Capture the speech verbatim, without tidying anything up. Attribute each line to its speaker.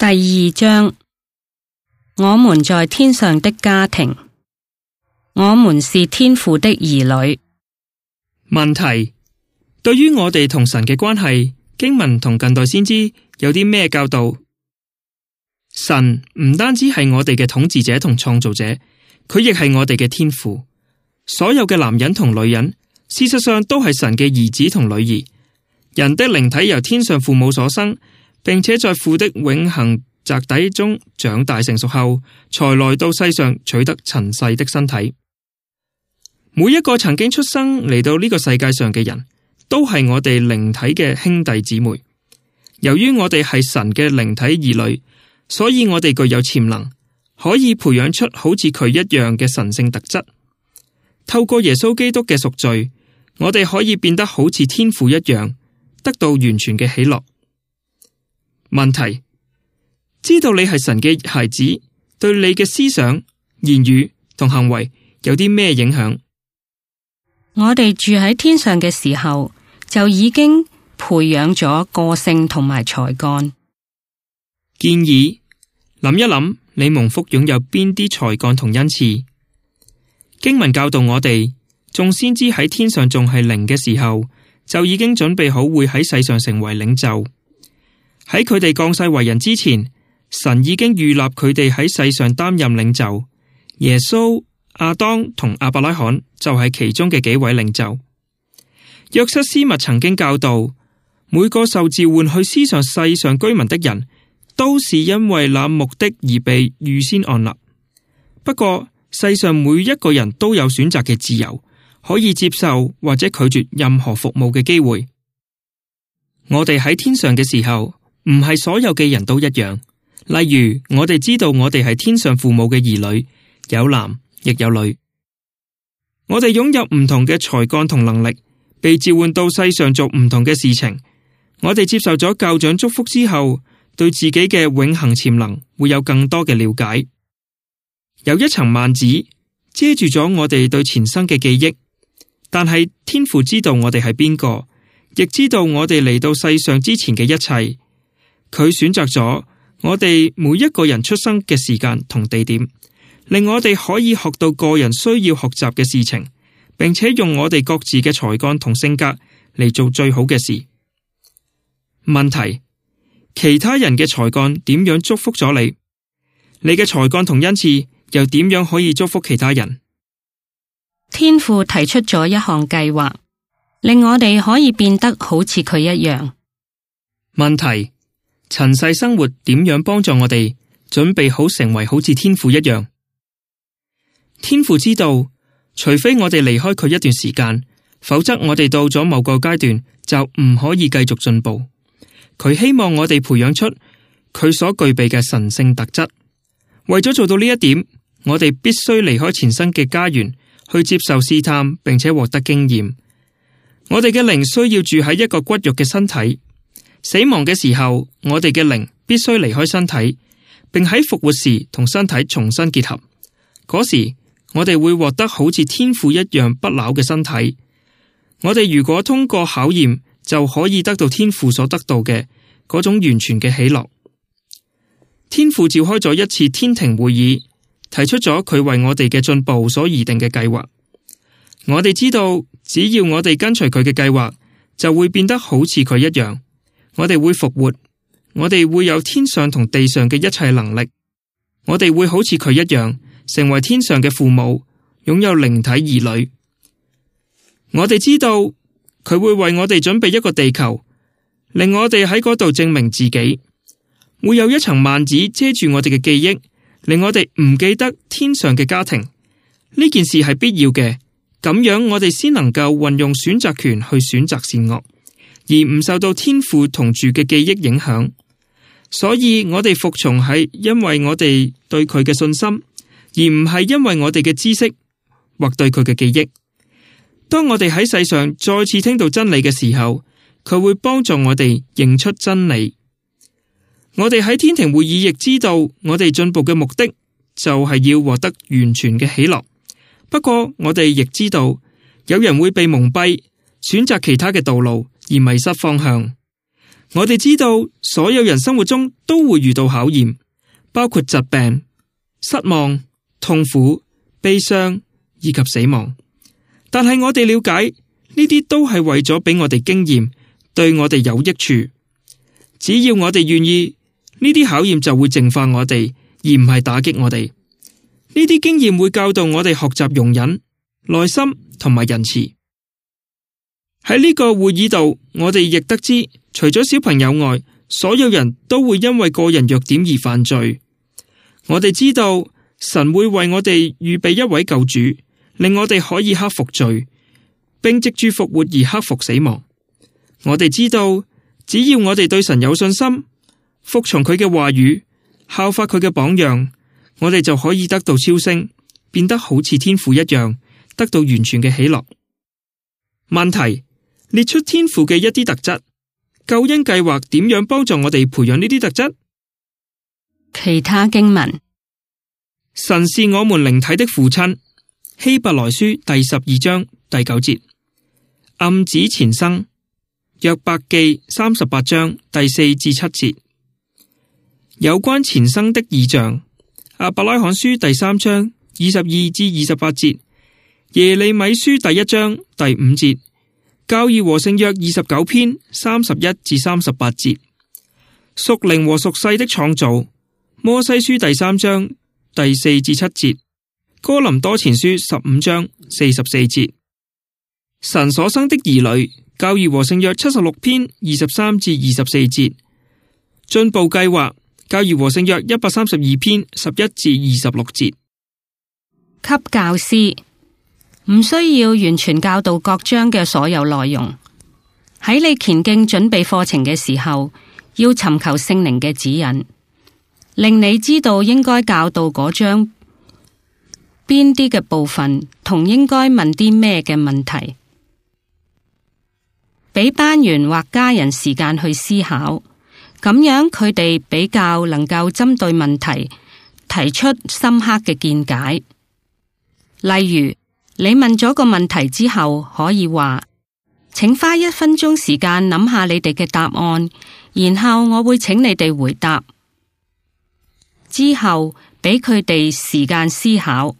Speaker 1: 第二章，我們在天上的家庭，我們是天父的兒女。
Speaker 2: 問題：對於我哋同神嘅關係，經文同近代先知有啲咩教導？神唔單止係我哋嘅統治者同創造者，佢亦係我哋嘅天父。所有嘅男人同女人，事實上都係神嘅兒子同女兒。人的靈體由天上父母所生，並且在父的永恆宅邸中長大成熟後，才來到世上取得塵世的身體。每一個曾經出生嚟到呢個世界上嘅人，都係我哋靈體嘅兄弟姊妹。由於我哋係神嘅靈體兒女，所以我哋具有潛能，可以培養出好似佢一樣嘅神聖特質。透過耶穌基督嘅贖罪，我哋可以變得好似天父一樣，得到完全嘅喜樂。問題：知道你係神嘅孩子，對你嘅思想、言語同行為有啲咩影響？
Speaker 1: 我哋住喺天上嘅時候，就已經培養咗個性同埋才幹。
Speaker 2: 建議諗一諗，你蒙福擁有邊啲才幹同恩賜？經文教導我哋，眾先知喺天上仲係靈嘅時候，就已經準備好會喺世上成為領袖。喺佢哋降世為人之前，神已經預立佢哋喺世上擔任領袖。耶穌、亞當同亞伯拉罕就係其中嘅幾位領袖。約瑟斯密曾經教導，每個受召喚去思想世上居民的人，都是因為那目的而被預先按立。不過世上每一個人都有選擇嘅自由，可以接受或者拒絕任何服務嘅機會。我哋喺天上嘅時候，唔係所有嘅人都一樣。例如，我哋知道我哋係天上父母嘅兒女，有男亦有女。我哋擁有唔同嘅才幹同能力，被召喚到世上做唔同嘅事情。我哋接受咗教長祝福之後，對自己嘅永恆潛能會有更多嘅了解。有一層幔子遮住咗我哋對前生嘅記憶，但係天父知道我哋係邊個，亦知道我哋嚟到世上之前嘅一切。佢選擇咗我哋每一個人出生嘅時間同地點，令我哋可以學到個人需要學習嘅事情，並且用我哋各自嘅才幹同性格嚟做最好嘅事。問題：其他人嘅才幹點樣祝福咗你？你嘅才幹同恩賜又點樣可以祝福其他人？
Speaker 1: 天父提出咗一項計劃，令我哋可以變得好似佢一樣。
Speaker 2: 問題：塵世生活點樣幫助我哋準備好成為好似天父一樣？天父知道，除非我哋離開佢一段時間，否則我哋到咗某個階段就唔可以繼續進步。佢希望我哋培養出佢所具備嘅神聖特質。為咗做到呢一點，我哋必須離開前生嘅家園，去接受試探，並且獲得經驗。我哋嘅靈需要住喺一個骨肉嘅身體。死亡嘅時候，我哋嘅靈必須離開身體，並喺復活時同身體重新結合。嗰時，我哋會獲得好似天父一樣不朽嘅身體。我哋如果通過考驗，就可以得到天父所得到嘅嗰種完全嘅喜樂。天父召開咗一次天庭會議，提出咗佢為我哋嘅進步所擬定嘅計劃。我哋知道，只要我哋跟隨佢嘅計劃，就會變得好似佢一樣。我哋會復活，我哋會有天上同地上嘅一切能力。我哋會好似佢一樣，成為天上嘅父母，擁有靈體兒女。我哋知道佢會為我哋準備一個地球，令我哋喺嗰度證明自己。會有一層幔子遮住我哋嘅記憶，令我哋唔記得天上嘅家庭。呢件事係必要嘅，咁樣我哋先能夠運用選擇權去選擇善惡，而唔受到天父同住嘅記憶影響。所以我哋服從係因為我哋對佢嘅信心，而唔係因為我哋嘅知識或對佢嘅記憶。當我哋喺世上再次聽到真理嘅時候，佢會幫助我哋認出真理。我哋喺天庭會議亦知道，我哋進步嘅目的就係要獲得完全嘅喜樂。不過我哋亦知道，有人會被蒙蔽，選擇其他嘅道路而迷失方向。我哋知道所有人生活中都會遇到考驗，包括疾病、失望、痛苦、悲傷以及死亡。但係我哋了解呢啲都係為咗俾我哋經驗，對我哋有益處。只要我哋願意，呢啲考驗就會淨化我哋，而唔係打擊我哋。呢啲經驗會教導我哋學習容忍、耐心同埋仁慈。喺呢個會議度，我哋亦得知，除咗小朋友外，所有人都會因為個人弱點而犯罪。我哋知道神會為我哋預備一位救主，令我哋可以克服罪，並藉住復活而克服死亡。我哋知道，只要我哋對神有信心，服從佢嘅話語，效法佢嘅榜樣，我哋就可以得到超升，變得好似天父一樣，得到完全嘅喜樂。問題：列出天父嘅一啲特質，救恩計劃點樣幫助我哋培養呢啲特質？
Speaker 1: 其他經文：
Speaker 2: 神是我們靈體的父親，希伯來書第十二章第九節；暗指前生，約伯記三十八章第四至七節。有關前生的異象，亞伯拉罕書第三章二十二至二十八節，耶利米書第一章第五節，教義和聖約二十九篇三十一至三十八節，屬靈和屬世的創造，摩西書第三章第四至七節，哥林多前書十五章四十四節，神所生的兒女，教義和聖約七十六篇二十三至二十四節，進步計劃，教義和聖約一百三十二篇十一至二十六節。
Speaker 1: 給教師唔需要完全教導各章嘅所有內容。喺你前進準備課程嘅時候，要尋求聖靈嘅指引，令你知道應該教導嗰章邊啲嘅部分，同應該問啲咩嘅問題。俾班員或家人時間去思考，咁樣佢哋比較能夠針對問題提出深刻嘅見解。例如，你問咗個問題之後，可以話，請花一分鐘時間諗下你哋嘅答案，然後我會請你哋回答。之後俾佢哋時間思考。